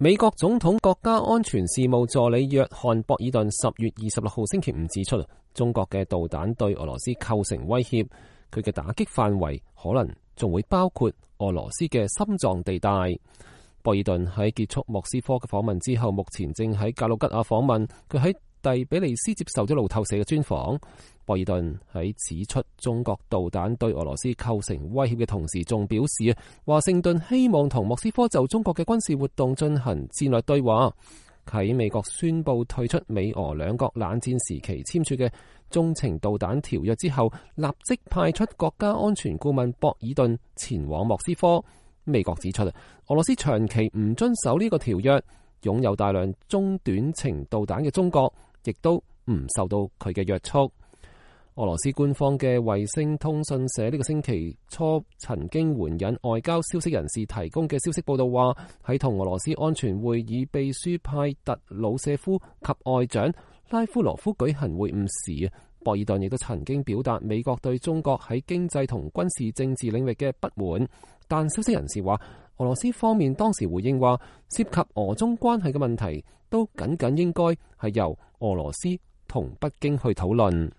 美國總統國家安全事務助理約翰博爾頓10月26號星期五指出，中國嘅導彈對俄羅斯構成威脅，佢嘅打擊範圍可能仲會包括俄羅斯嘅心臟地帶。博爾頓喺結束莫斯科嘅訪問之後，目前正喺格魯吉亞訪問。佢喺第比利斯接受咗路透社嘅專訪。博爾頓喺指出中國導彈對俄羅斯構成威脅嘅同時，仲表示華盛頓希望同莫斯科就中國嘅軍事活動進行戰略對話。喺美國宣布退出美俄兩國冷戰時期簽署嘅中程導彈條約之後，立即派出國家安全顧問博爾頓前往莫斯科。美國指出，俄羅斯長期唔遵守呢個條約，擁有大量中短程導彈嘅中國亦都唔受到佢嘅約束。俄羅斯官方嘅衛星通訊社呢個星期初曾經援引外交消息人士提供嘅消息報道話，喺同俄羅斯安全會議秘書派特魯舍夫及外長拉夫羅夫舉行會晤時，博爾頓亦都曾經表達美國對中國喺經濟同軍事政治領域嘅不滿。但消息人士話，俄羅斯方面當時回應話，涉及俄中關係嘅問題都僅僅應該係由俄羅斯同北京去討論。